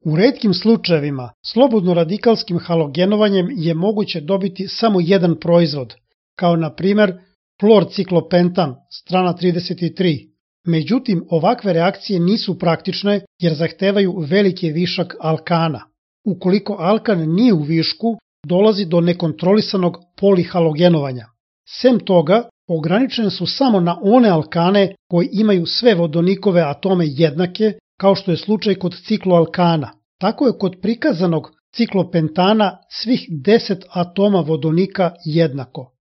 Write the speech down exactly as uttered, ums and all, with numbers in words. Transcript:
U retkim slučajevima slobodno radikalskim halogenovanjem je moguće dobiti samo jedan proizvod, kao na primer florciklopentan, strana trideset tri. Međutim, ovakve reakcije nisu praktične jer zahtevaju veliki višak alkana. Ukoliko alkan nije u višku, dolazi do nekontrolisanog polihalogenovanja. Sem toga, ograničene su samo na one alkane koji imaju sve vodonikove atome jednake, kao što je slučaj kod cikloalkana. Tako je kod prikazanog ciklopentana svih deset atoma vodonika jednako.